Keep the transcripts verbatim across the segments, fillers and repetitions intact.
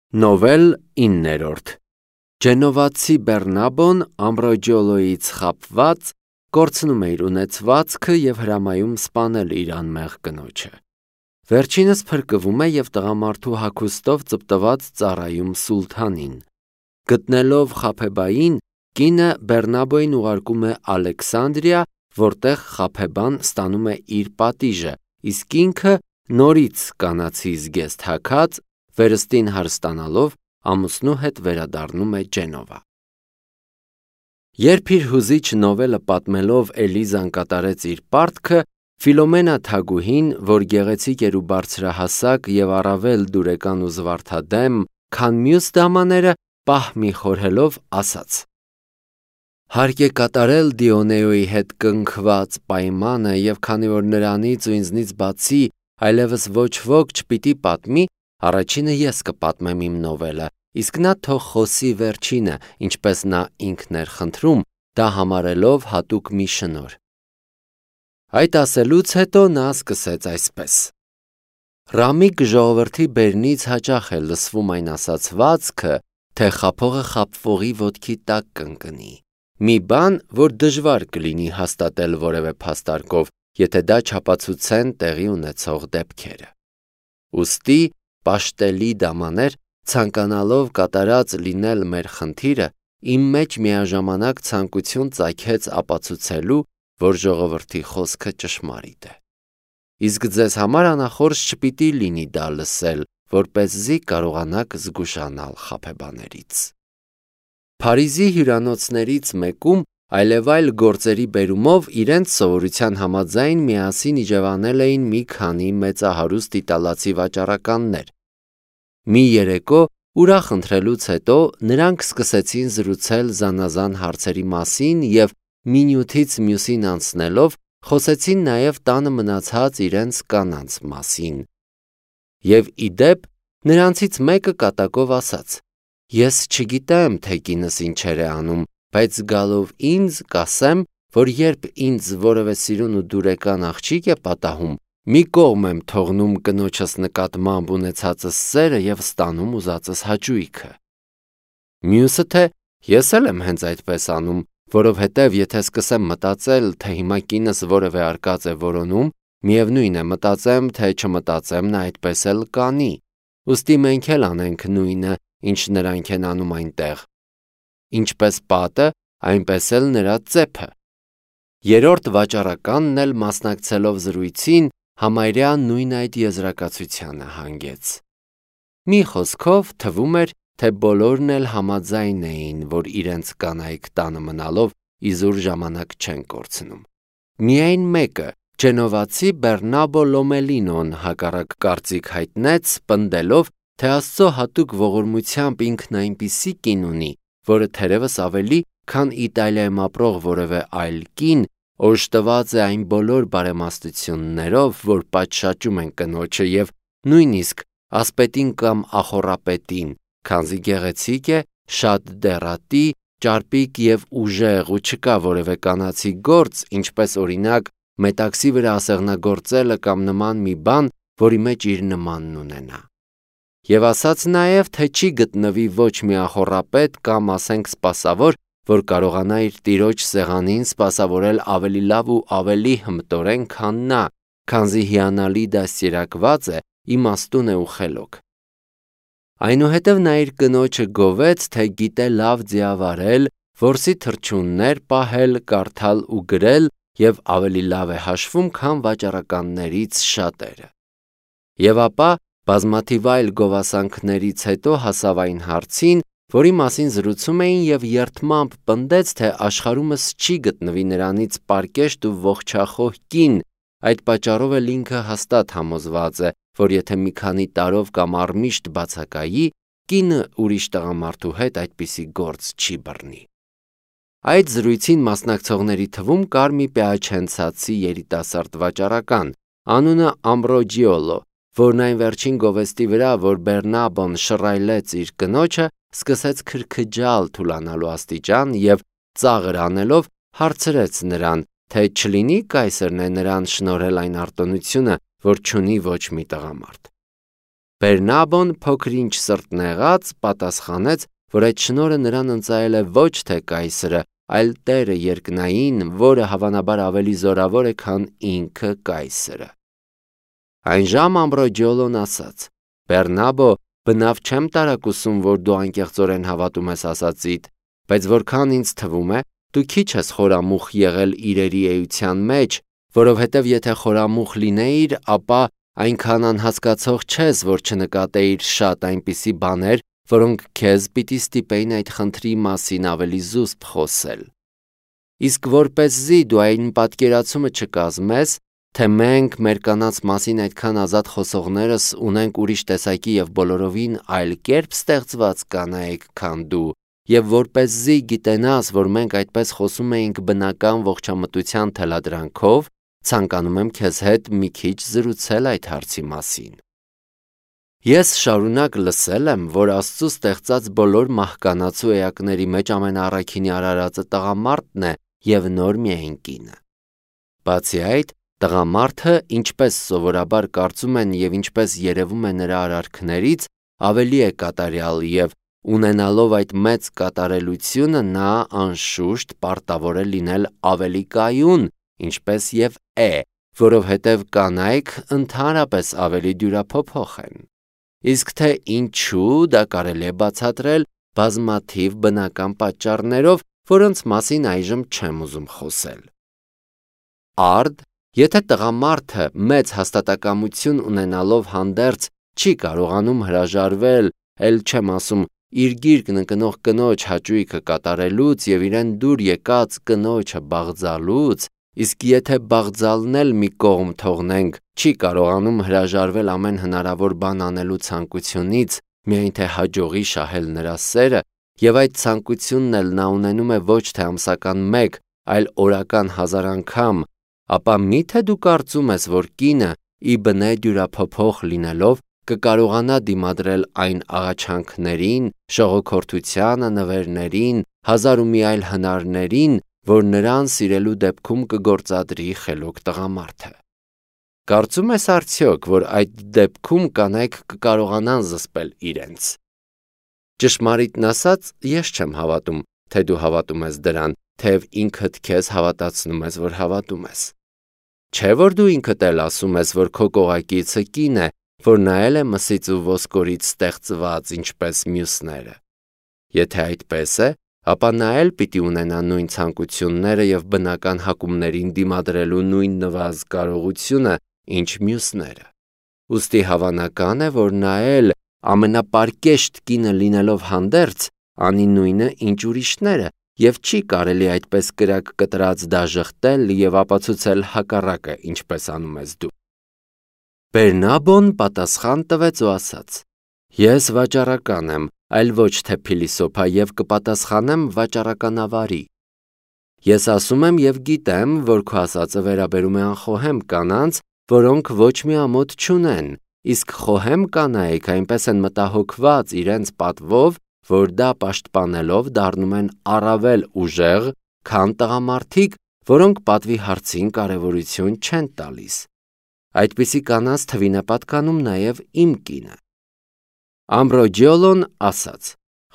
Նովել իններորդ Ջենովացի Բեռնաբոն Ամբրոջիոլոյից խաբված կորցնում է իր ունեցվածքը և հրամայում սպանել իր անմեղ կնոջը։ Վերջինս փրկվում է և տղամարդու հագուստով ծպտված ծառայում սուլթանին։ Գտնելով Խաբեբային, կինը Բեռնաբոյին ուղարկում է Ալեքսանդրիա, որտեղ Խաբեբան ստանում է իր պատիժը, իսկ ինքը նորից կանացի զգեստ հագած, վերստին հարստանալով, ամուսնու հետ վերադառնում է Ջենովա։ Երբ իր հուզիչ նովելը պատմելով Էլիզան կատարեց իր պարտքը, Ֆիլոմենա թագուհին, որ գեղեցիկ էր ու բարձրահասակ և առավել դուրեկան ու զվարթադեմ, քան մյուս դամաները, պահ մի խորհելով ասաց. Հարկ է կատարել Դիոնեոյի հետ կնքված պայմանը, և քանի որ նրանից ու ինձնից բացի այլևս ոչ ոք չպիտի պատմի, առաջինը ես կպատմեմ իմ նովելը, իսկ նա թող խոսի վերջինը, ինչպես նա ինքն էր խնդրում, դա համարելով հատուկ մի շնորհ։ Այդ ասելուց հետո նա սկսեց այսպես. Ռամիկ ժողովրդի բերնից հաճախ է լսվում այն ասացվածքը, թե խաբողը խաբվողի ոտքի տակ կընկնի։ Մի բան, որ դժվար կլինի հաստատել որևէ փաստարկով, եթե դա չապացուցեն տեղի ունեցող դեպքերը։ Ուստի, պաշտելի դամաներ, ցանկանալով կատարած լինել մեր խնդիրը, իմ մեջ միաժամանակ ցանկություն ծագեց ապացուցելու, որ ժողովրդի խոսքը ճշմարիտ է։ Իսկ ձեզ համար անախորժ չպիտի լինի դա լսել, որպեսզի կարողանաք զգուշանալ խաբեբաներից։ Փարիզի հյուրանոցներից մեկում այլևայլ գործերի բերումով իրենց սովորության համաձայն միասին իջևանել էին մի քանի մեծահարուստ իտալացի վաճառականներ։ Մի երեկո ուրախ ընթրելուց հետո նրանք սկսեցին զրուցել զանազան հարցերի մասին և մինյութից մյուսին անցնելով խոսեցին նաև տանը մնացած իրենց կանանց մասին։ Եվ ի դեպ, նրանցից մեկը կատակով ասաց. Ես չգիտեմ, թե կինս ինչեր է անում, բայց գալով ինձ կասեմ, որ երբ ինձ որևէ սիրուն ու դուրեկան աղջիկ է պատահում, մի կողմ եմ թողնում կնոջս նկատմամբ ունեցածս սերը և ստանում ուզածս հաճույքը։ Մյուսը թե ես էլ եմ հենց այդպես անում, որովհետև եթե սկսեմ մտածել, թե հիմա կինս որևէ արկած է որոնում, միևնույն է մտածեմ, թե չմտածեմ, նա այդպես էլ կանի, ուստի մենք էլ անենք նույնը, ինչ նրանք են անում այնտեղ։ Ինչպես պատը, այնպես էլ նրա ծեփը։ Երրորդ վաճառականն էլ մասնակցելով զրույցին, համարյա նույն այդ եզրակացությանը հանգեց։ Մի խոսքով թվում էր, թե բոլորն էլ համաձայն էին, որ իրենց կանայք տանը մնալով իզուր ժամանակ չեն կորցնում։ Միայն մեկը, ջենովացի Բեռնաբո Լոմելինոն հակառակ կարծիք հայտնեց, պնդելով, թե Աստծո հատուկ ողորմությամբ ինքն այնպիսի կին ունի, որը թերևս ավելի, քան Իտալիայում ապրող որևէ այլ կին, օժտված է այն բոլոր բարեմաստություններով, որ պատշաճում են կնոջը և նույնիսկ ասպետին կամ ախոռապետին, քանզի գեղեցիկ է, շատ դեռատի, ճարպիկ և ուժեղ ու չկա որևէ կանացի գործ, ինչպես օրինակ մետաքսի վրա ասեղնագործելը կամ նման մի բան, որի մեջ իր նմանն ունենա։ Եվ ասաց նաև, թե չի գտնվի ոչ մի ախոռապետ կամ ասենք սպասավոր, որ կարողանա իր տիրոջ սեղանին սպասավորել ավելի լավ ու ավելի հմտորեն, քան նա, քանզի հիանալի դաստիարակված է, իմաստուն է ու խելոք։ Այնուհետև նա իր կնոջը գովեց, թե գիտե լավ ձիավարել, որսի թռչուններ պահել, կարդալ ու գրել և ավելի լավ է հաշվում, քան վաճառականներից շատերը։ Եվ ապա բազմաթիվ այլ գովասանքներից հետո հասավ այն հարցին, որի մասին զրուցում էին և երդմամբ պնդեց, թե աշխարհումս չի գտնվի նրանից պարկեշտ ու ողջախոհ կին, այդ պատճառով էլ ինքը հաստատ համոզված է, որ եթե մի քանի տարով կամ առմիշտ բացակայի, կինը ուրիշ տղամարդու հետ այդպիսի գործ չի բռնի։ Այդ զրույցին մասնակցողների թվում կար մի պյաչենցացի երիտասարդ վաճառական, անունը Ամբրոջիոլո, որն այն վերջին գովեստի վրա, որ Բեռնաբոն շռայլեց իր կնոջը, սկսեց քրքջալ թուլանալու աստիճան և ծաղր անելով հարցրեց նրան, թե չլինի կայսրն է նրան շնորհել այն արտոնությունը, որ չունի ոչ մի տղամարդ։ Բերնաբոն փոքր-ինչ սրտնեղած պատասխանեց, որ այդ շնորհը նրան ընծայել է ոչ թե կայսրը, այլ տերը երկնային, որը հավանաբար ավելի զորավոր է, քան ինքը կայսրը։ Այն ժամ Ամբրոջիոլոն ասաց. Բերնաբո, բնավ չեմ տարակուսում, որ դու անկեղծորեն հավատում ես ասածիդ, բայց որքան ինձ թվում է, դու քիչ ես խորամուխ եղել իրերի էության մեջ, որովհետև եթե խորամուխ լինեիր, ապա այնքան անհասկացող չես, որ չնկատեիր շատ այնպիսի բաներ, որոնք քեզ պիտի ստիպեին այդ խնդրի մասին ավելի զուսպ խոսել։ Իսկ որպեսզի դու այն պատկերացումը չկազմես, թե մենք մեր կանանց մասին այդքան ազատ խոսողներս ունենք ուրիշ տեսակի և բոլորովին այլ կերպ ստեղծված կանայք, քան դու, և որպեսզի գիտենաս, որ մենք այդպես խոսում էինք բնական ողջամտության թելադրանքով, ցանկանում եմ քեզ հետ մի քիչ զրուցել այդ հարցի մասին։ Ես շարունակ լսել եմ, որ Աստծու ստեղծած բոլոր մահկանացու էակների մեջ ամենաառաքինի արարածը տղամարդն է և նոր միայն կինը։ Բացի այդ, տղամարդը, ինչպես սովորաբար կարծում են և ինչպես երևում է նրա արարքներից, ավելի է կատարյալ և ունենալով այդ մեծ կատարելությունը նա անշուշտ պարտավոր է լինել ավելի կայուն, ինչպես և է, որովհետև կանայք ընդհանրապես ավելի դյուրափոփոխ են։ Իսկ թե ինչու, դա կարելի է բացատրել բազմաթիվ բնական պատճառներով, որոնց մասին այժմ չեմ ուզում խոսել։ Արդ, եթե տղամարդը մեծ հաստատակամություն ունենալով հանդերձ չի կարողանում հրաժարվել, էլ չեմ ասում իր գիրկն ընկնող կնոջ հաճույքը կատարելուց և իրեն դուր եկած կնոջը բաղձալուց, իսկ եթե բաղձալն էլ մի կողմ թողնենք, չի կարողանում հրաժարվել ամեն հնարավոր բան անելու ցանկությունից, միայն թե հաջողի շահել նրա սերը, և այդ ցանկությունն էլ նա ունենում է ոչ թե ամսական մեկ, այլ օրական հազար անգամ, ապա մի՞թե դու կարծում ես, որ կինը, ի բնե դյուրափոփոխ լինելով, կկարողանա դիմադրել այն աղաչանքներին, շողոքորթությանը, նվերներին, հազար ու մի այլ հնարներին, որ նրան սիրելու դեպքում կգործադրի խելոք տղամարդը։ Կարծում ես արդյոք, որ այդ դեպքում կանայք կկարողանան զսպել իրենց։ Ճշմարիտն ասած, ես չեմ հավատում, թե դու հավատում ես դրան, թեև ինքդ քեզ հավատացնում ես, որ հավատում ես։ Չէ՞ որ դու ինքդ էլ ասում ես, որ քո կողակիցը կին է, որ նայել է մսից ու ոսկորից ստեղծված, ինչպես մյուսները։ Եթե այդպես է, ապա նա էլ պիտի ունենա նույն ցանկությունները և բնական հակումներին դիմադրելու նույն նվազ կարողությունը, ինչ մյուսները։ Ուստի հավանական է, որ նա էլ ամենապարկեշտ կինը լինելով հանդերձ, անի նույնը, ինչ ուրիշները, և չի կարելի այդպես կրակ կտրած դաժխտել և ապացուցել հակառակը, ինչպես անում ես դու։ Բերնաբոն պատասխան տվեց ու ասաց. Ես վաճառական եմ, այլ ոչ թե փիլիսոփա և կպատասխանեմ վաճառականավարի։ Ես ասում եմ և գիտեմ, որ քո ասածը վերաբերում է անխոհեմ կանանց, որոնք ոչ մի ամոթ չունեն, իսկ խոհեմ կանայք այնպես են մտահոգված իրենց պատվով, որ դա պաշտպանելով դառնում են առավել ուժեղ, քան տղամարդիկ, որոնք պատվի հարցին կարևորություն չեն տալիս։ Այդպիսի կանանց թվին է պատկանում նաև իմ կինը։ Ամբրոջիոլոն ասաց.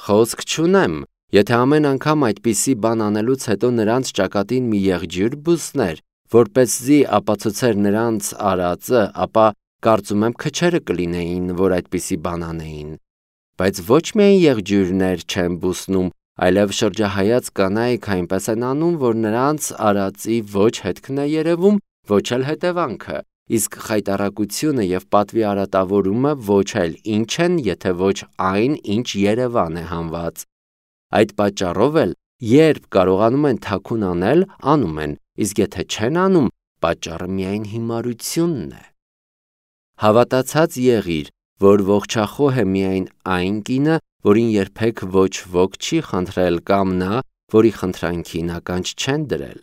Խոսք չունեմ, եթե ամեն անգամ այդպիսի բան անելուց հետո նրանց ճակատին մի եղջյուր բուսներ, որպեսզի ապացուցեր նրանց արածը, ապա կարծում եմ քչերը կլինեին, որ այդպիսի բան անեին։ Բայց ոչ միայն եղջյուրներ չեն բուսնում, այլև շրջահայաց կանայք այնպես են անում, որ նրանց արածի ոչ հետքն է երևում, ոչ էլ հետևանքը, իսկ խայտառակությունը և պատվի արատավորումը ոչ էլ ինչ են, եթե ոչ այն, ինչ Երևան է հանված։ Այդ պատճառով էլ, երբ կարողանում են թաքուն անել, անում են, իսկ եթե չեն անում, պատճառը միայն հիմարությունն է։ Հավատացած եղիր, որ ողջախոհ է միայն այն կինը, որին երբեք ոչ ոք չի խնդրել կամ նա, որի խնդրանքին ականջ չեն դրել։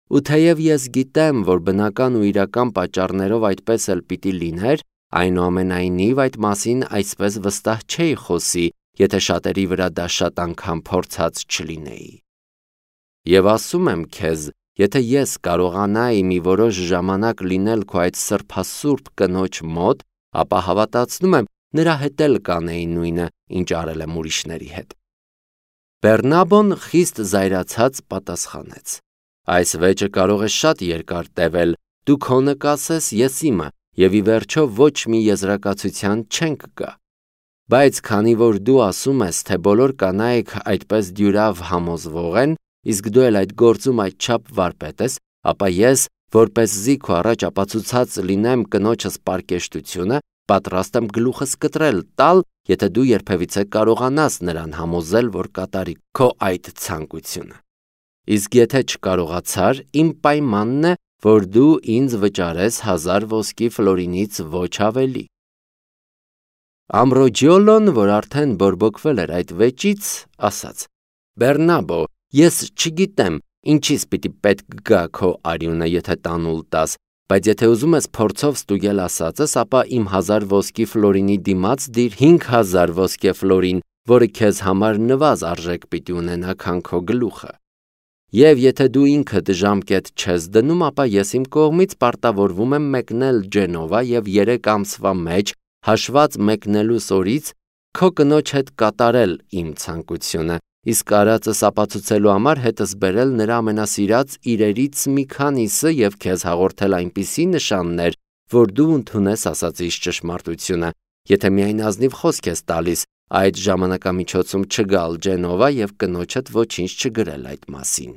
Ու թեև ես գիտեմ, որ բնական ու իրական պատճառներով այդպես էլ պիտի լիներ, այնուամենայնիվ այդ մասին այսպես վստահ չէի խոսի, եթե շատերի վրա դա շատ անգամ փորձած չլինեի։ Եվ ասում եմ քեզ, եթե ես կարողանայի մի որոշ ժամանակ լինել քո այդ սրբասուրբ կնոջ մոտ, ապա հավատացնում եմ, նրա հետ էլ կանեին նույնը, ինչ արել եմ ուրիշների հետ։ Բեռնաբոն խիստ զայրացած պատասխանեց. Այս վեճը կարող է շատ երկար տևել, դու քոնը կասես, ես իմը, եւ ի վերջո ոչ մի եզրակացության չենք գա։ Բայց քանի որ դու ասում ես, թե բոլոր կանայք այդպես դյուրավ համոզվող են, իսկ դու էլ այդ գործում այդչափ վարպետ ես, ապա ես, որպեսզի քո առաջ ապացուցած լինեմ կնոջս պարկեշտությունը, պատրաստ եմ գլուխս կտրել տալ, եթե դու երբևիցե կարողանաս նրան համոզել, որ կատարի քո այդ ցանկությունը։ Իսկ եթե չկարողացար, իմ պայմանն է, որ դու ինձ վճարես հազար ոսկի ֆլորինից ոչ ավելի։ Ամբրոջիոլոն, որ արդեն բորբոքվել էր այդ վեճից, ասաց. Բեռնաբո, ես չգիտեմ, ինչից պիտի պետք գա քո արյունը, եթե տանուլ տաս, բայց եթե ուզում ես փորձով ստուգել ասածս, ապա իմ հազար ոսկի ֆլորինի դիմաց դիր հինգ հազար ոսկե ֆլորին, որը քեզ համար նվազ արժեք պիտի ունենա, քան քո գլուխը։ Եվ եթե դու ինքդ ժամկետ չես դնում, ապա ես իմ կողմից պարտավորվում եմ մեկնել Ջենովա եւ երեք ամսվա մեջ, հաշված մեկնելուս օրից, քո կնոջ հետ կատարել իմ ցանկությունը, իսկ արածս ապացուցելու համար հետս բերել նրա ամենասիրած իրերից մի քանիսը եւ քեզ հաղորդել այնպիսի նշաններ, որ դու ընդունես ասածիս ճշմարտությունը, եթե միայն ազնիվ խոսք ես տալիս այդ ժամանակամիջոցում չգալ Ջենովա եւ կնոջդ ոչինչ չգրել այդ մասին։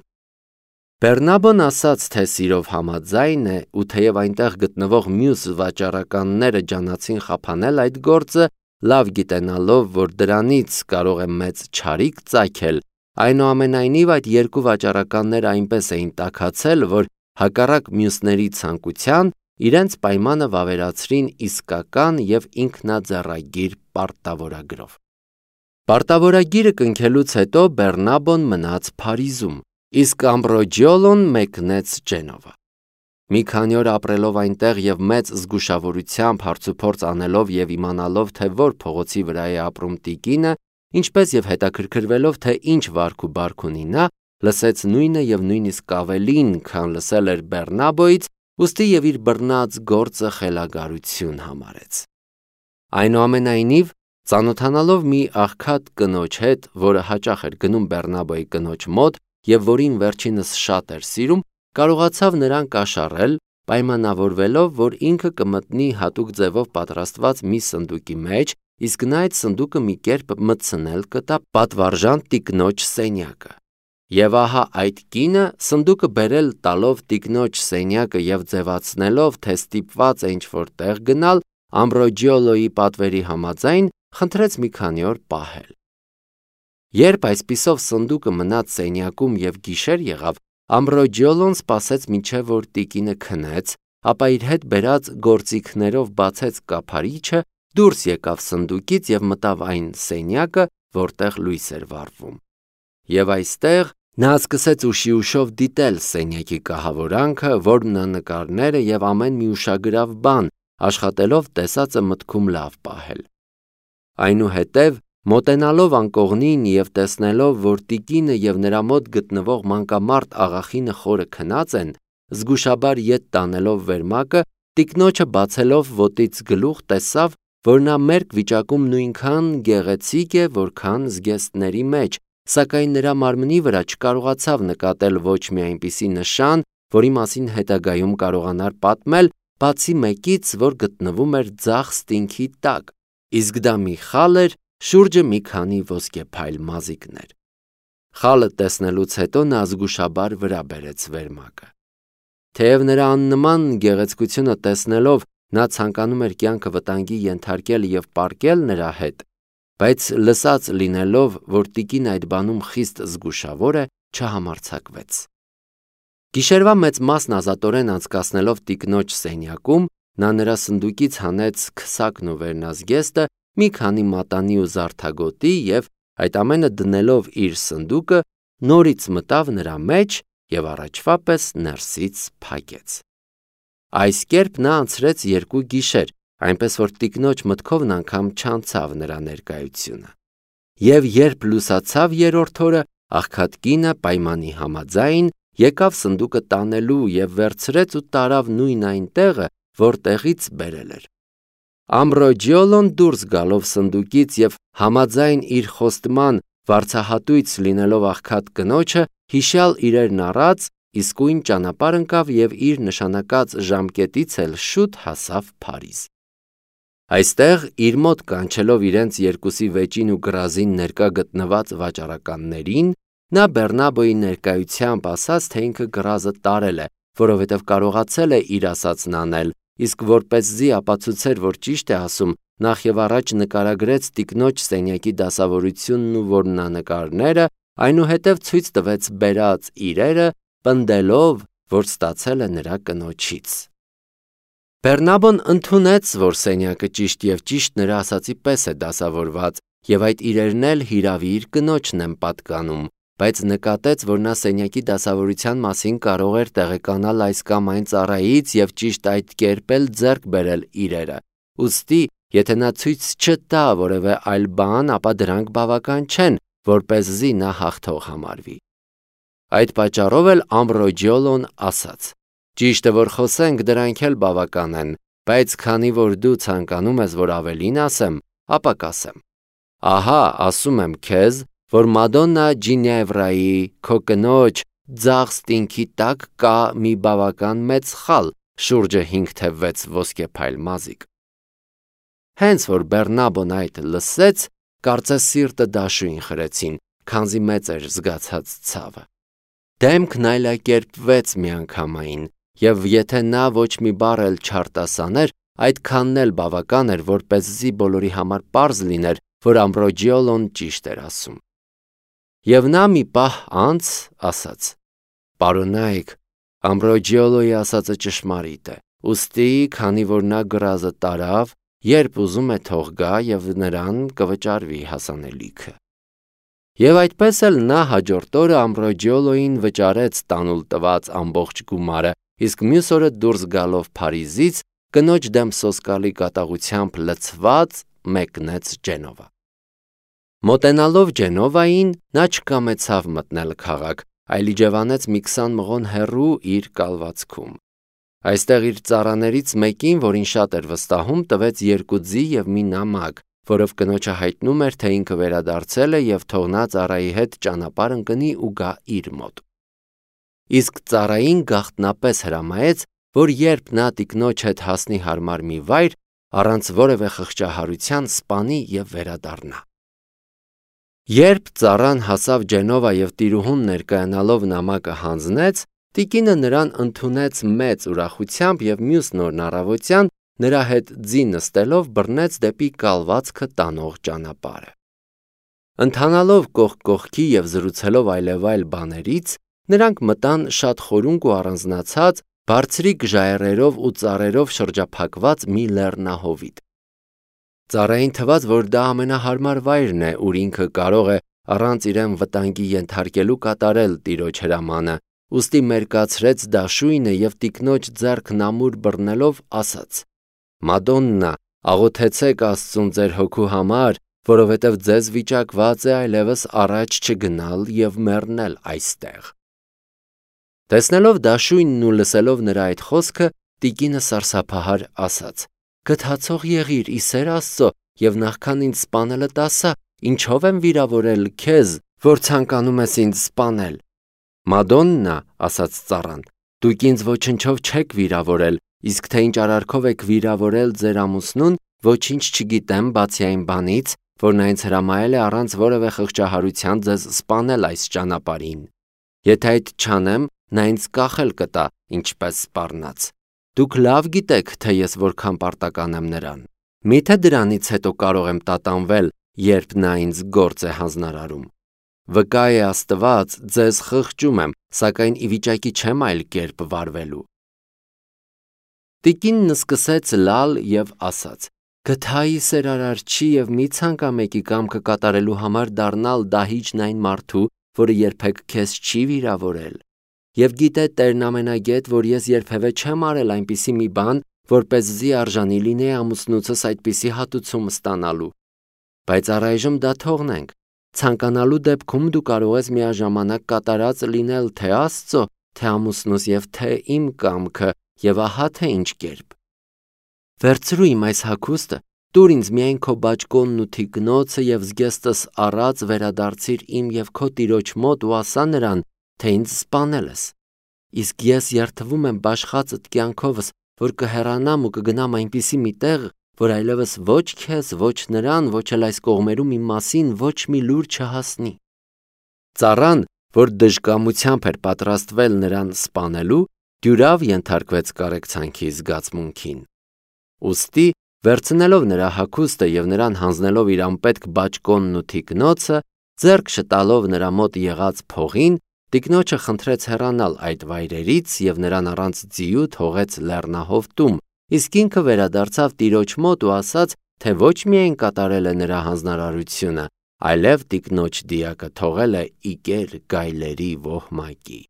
Բեռնաբոն ասաց, թե սիրով համաձայն է, ու թեև այնտեղ գտնվող մյուս վաճառականները ջանացին խափանել այդ գործը, լավ գիտենալով, որ դրանից կարող է մեծ չարիք ծագել, այնուամենայնիվ այդ երկու վաճառականները այնպես էին տաքացել, որ հակառակ մյուսների ցանկության իրենց պայմանը վավերացրին իսկական եւ ինքնաձեռագիր պարտավորագրով։ Պարտավորագիրը կնքելուց հետո Բեռնաբոն մնաց Փարիզում, իսկ Ամբրոջիոլոն մեկնեց Ջենովա։ Մի քանի օր ապրելով այնտեղ եւ մեծ զգուշավորությամբ հարցուփորձ անելով եւ իմանալով, թե որ փողոցի վրա է ապրում տիկինը, ինչպես եւ հետաքրքրվելով, թե ինչ վարք ու բարք ունի նա, լսեց նույնը եւ նույնիսկ ավելին, քան լսել էր Բեռնաբոյից, ուստի եւ իր բռնած գործը խելագարություն համարեց։ Այնուամենայնիվ, ծանոթանալով մի աղքատ կնոջ հետ, որը հաճախ էր գնում Բեռնաբոյի կնոջ մոտ եւ որին վերջինս շատ էր սիրում, կարողացավ նրան կաշառել, պայմանավորվելով, որ ինքը կմտնի հատուկ ձևով պատրաստված մի սնդուկի մեջ, իսկ նա այդ սնդուկը մի կերպ մտցնել կտա պատվարժան տիկնոջ սենյակը։ Եվ ահա այդ կինը սնդուկը բերել տալով տիկնոջ սենյակը եւ ձևացնելով, թե ստիպված է ինչ-որ տեղ գնալ, Ամբրոջիոլոյի պատվերի համաձայն խնդրեց մի քանի օր պահել։ Երբ այսպիսով սնդուկը մնաց սենյակում եւ գիշեր եղավ, Ամբրոջիոլոն սպասեց մինչև որ տիկինը քնեց, ապա իր հետ բերած գործիքներով բացեց կափարիչը, դուրս եկավ սնդուկից եւ մտավ այն սենյակը, որտեղ լույս էր վառվում։ Եվ այստեղ նա սկսեց ուշի ուշով դիտել սենյակի կահավորանքը, որմնանկարները եւ ամեն մի ուշագրավ բան, աշխատելով տեսածը մտքում լավ պահել։ Այնուհետև, մոտենալով անկողնին եւ տեսնելով, որ տիկինը եւ նրա մոտ գտնվող մանկամարտ աղախինը խորը քնած են, զգուշաբար ետ տանելով վերմակը, տիկնոջը բացելով ոտից գլուխ տեսավ, որ նա մերկ վիճակում նույնքան գեղեցիկ է, որքան զգեստների մեջ, սակայն նրա մարմնի վրա չկարողացավ նկատել ոչ մի այնպիսի նշան, որի մասին հետագայում կարողանար պատմել, բացի մեկից, որ գտնվում էր ձախ ստինքի տակ, իսկ դա մի խալ էր, շուրջը մի քանի ոսկեփայլ մազիկներ։ Խալը տեսնելուց հետո նա զգուշաբար վրա բերեց վերմակը։ Թեև նրա աննման գեղեցկությունը տեսնելով նա ցանկանում էր կյանքը վտանգի ենթարկել եւ պարկել նրա հետ, բայց լսած լինելով, որ տիկին այդ բանում խիստ զգուշավոր է, չհամարձակվեց։ Գիշերվա մեծ մասն ազատորեն անցկացնելով տիկնոջ սենյակում, նա նրա սնդուկից հանեց քսակն ու վերնազգեստը, մի քանի մատանի ու զարդագոտի եւ այդ ամենը դնելով իր սնդուկը, նորից մտավ նրա մեջ եւ առաջվա պես ներսից փակեց։ Այս կերպ նա անցրեց երկու գիշեր, այնպես որ տիկնոջ մտքովն անգամ չանցավ նրա ներկայությունը։ Եվ երբ լուսացավ երրորդ օրը, աղքատ կինը պայմանի համաձայն եկավ սնդուկը տանելու եւ վերցրեց ու տարավ նույն այն տեղը, որտեղից բերել էր։ Ամբրոջիոլոն դուրս գալով սնդուկից և համաձայն իր խոստման վարձահատույց լինելով աղքատ կնոջը, հիշյալ իրերն առած, իսկույն ճանապարհ ընկավ և իր նշանակած ժամկետից էլ շուտ հասավ Փարիզ։ Այստեղ իր մոտ կանչելով իրենց երկուսի վեճին ու գրազին ներկա գտնված վաճառականներին, նա Բեռնաբոյի ներկայությամբ ասաց, թե ինքը գրազը տարել է, որովհետև կարողացել է իր ասածն անել, իսկ որպեսզի ապացուցեր, որ ճիշտ է ասում, նախ և առաջ նկարագրեց տիկնոջ սենյակի դասավորությունն ու որմնանկարները, այնուհետև ցույց տվեց բերած իրերը, պնդելով, որ ստացել է նրա կնոջից։ Բեռնաբոն ընդունեց, որ սենյակը ճիշտ և ճիշտ նրա ասածի պես է դասավորված, և այդ իրերն էլ հիրավի իր կնոջն են պատկանում, բայց նկատեց, որ նա սենյակի դասավորության մասին կարող էր տեղեկանալ այս կամ այն ծառայից և ճիշտ այդ կերպ էլ ձեռք բերել իրերը, ուստի, եթե նա ցույց չտա որևէ այլ բան, ապա դրանք բավական չեն, որպեսզի նա հաղթող համարվի։ Այդ պատճառով էլ Ամբրոջիոլոն ասաց. «Ճիշտը որ խոսենք, դրանք էլ բավական են, բայց քանի որ դու ցանկանում ես, որ ավելին ասեմ, ապա կասեմ. ահա ասում եմ քեզ, որ Մադոննա Ջինևրայի, քո կնոջ, ձախ ստինքի տակ կա մի բավական մեծ խալ, շուրջը հինգ թե վեց ոսկեփայլ մազիկ»։ Հենց որ Բեռնաբոն այդ լսեց, կարծես սիրտը դաշույն խրեցին, քանզի մեծ էր զգացած ցավը։ Դեմքն այլակերպվեց միանգամայն, և եթե նա ոչ մի բառ էլ չարտասաներ, այդքանն էլ բավական էր, որպեսզի բոլորի համար պարզ լիներ, որ Ամբրոջիոլոն ճիշտ էր ասում։ Եվ նա մի պահ անց ասաց. «Պարոնայք, Ամբրոջիոլոյի ասածը ճշմարիտ է, ուստի, քանի որ նա գրազը տարավ, երբ ուզում է թող գա և նրան կվճարվի հասանելիքը»։ Եվ այդպես էլ նա հաջորդ օրը Ամբրոջիոլոյին վճարեց տանուլ տված ամբողջ գումարը, իսկ մյուս օրը դուրս գալով Փարիզից, կնոջ դեմ սոսկալի կատաղությամբ լցված, մեկնեց Ջենովա։ Մոտենալով Ջենովային, նա չկամեցավ մտնել քաղաք, այլ իջևանեց մի քսան մղոն հեռու իր կալվածքում։ Այստեղ իր ծառաներից մեկին, որին շատ էր վստահում, տվեց երկու ձի և մի նամակ, որով կնոջը հայտնում էր, թե ինքը վերադարձել է և թող նա ծառայի հետ ճանապարհ ընկնի ու գա իր մոտ։ Իսկ ծառային գաղտնապես հրամայեց, որ երբ նա տիկնոջ հետ հասնի հարմար մի վայր, առանց որևէ խղճահարության սպանի և վերադառնա։ Երբ ծառան հասավ Ջենովա և տիրուհուն ներկայանալով նամակը հանձնեց, տիկինը նրան ընդունեց մեծ ուրախությամբ և մյուսն օրն առավոտյան նրա հետ ձի նստելով բռնեց դեպի կալվածքը տանող ճանապարհը։ Ընթանալով կողք կողքի և զրուցելով այլևայլ բաներից, նրանք մտան շատ խորունկ ու առանձնացած, բարձրիկ ժայռերով ու ծառերով շրջափակված մի լեռնահովիտ։ Ծառային թվաց, որ դա ամենահարմար վայրն է, ուր ինքը կարող է առանց իրեն վտանգի ենթարկելու կատարել տիրոջ հրամանը, ուստի մերկացրեց դաշույնը և տիկնոջ ձեռքն ամուր բռնելով ասաց. «Մադոննա, աղոթեցեք Աստծուն ձեր հոգու համար, որովհետև ձեզ վիճակված է այլևս առաջ չգնալ և մեռնել այստեղ»։ Տեսնելով դաշույնն ու լսելով նրա այդ խոսքը, տիկինը սարսափահար ասաց. «Գթացող եղիր ի սեր Աստծո և նախքան ինձ սպանելդ ասա, ինչով եմ վիրավորել քեզ, որ ցանկանում ես ինձ սպանել»։ «Մադոննա, ասաց ծառան, դուք ինձ ոչնչով չեք վիրավորել, իսկ թե ինչ արարքով եք վիրավորել ձեր ամուսնուն, ոչինչ չգիտեմ, բացի այն բանից, որ նա ինձ հրամայել է առանց որևէ խղճահարության ձեզ սպանել այս ճանապարհին։ Եթե այդ չանեմ, նա ինձ կախել կտա, ինչպես սպառնաց։ Դուք լավ գիտեք, թե ես որքան պարտական եմ նրան։ Միթե դրանից հետո կարող եմ տատանվել, երբ նա ինձ գործ է հանձնարարում։ Վկա է Աստված, ձեզ խղճում եմ, սակայն ի վիճակի չեմ այլ կերպ վարվելու»։ Տիկինն սկսեց լալ և ասաց. «Գթայի սեր Արարչի և մի ցանկամեկի կամքը կատարելու համար դառնալ դահիճն այն մարդու, որը երբեք քեզ չի վիրավորել։ Եվ գիտե Տերն ամենագետ, որ ես երբևէ չեմ արել այնպիսի մի բան, որպեսզի արժանի լինեի ամուսնուցս այդպիսի հատուցում ստանալու։ Բայց առայժմ դա թողնենք։ Ցանկանալու դեպքում դու կարող ես միաժամանակ կատարած լինել թե Աստծո, թե ամուսնուս և թե իմ կամքը, և ահա թե ինչ կերպ։ Վերցրու իմ այս հագուստը Տուր ինձ միայն քո բաճկոնն ու թիկնոցը և զգեստս առած վերադարձիր իմ և քո տիրոջ մոտ ու ասա նրան, թե ինձ սպանել ես։ Իսկ ես երդվում եմ բաշխածդ կյանքովս, որ կհեռանամ ու կգնամ այնպիսի մի տեղ, որ այլևս ոչ քեզ, ոչ նրան, ոչ էլ այս կողմերում իմ մասին ոչ մի լուր չհասնի։ Ծառան, որ դժկամությամբ էր պատրաստվել նրան սպանելու, դյուրավ ենթարկվեց կարեկցանքի զգացմունքին։ Ուստի, վերցնելով նրա հագուստը և նրան հանձնելով իր անպետք բաճկոնն ու թիկնոցը, ձեռք շտալով նրա մոտ եղած փողին, տիկնոջը խնդրեց հեռանալ այդ վայրերից և նրան առանց ձիու թողեց լեռնահովտում, իսկ ինքը վերադարձավ տիրոջ մոտ ու ասաց, թե ոչ միայն կատարել է նրա հանձնարարությունը, այլև տիկնոջ դիակը թողել է իկեր գայլերի ոհմակի։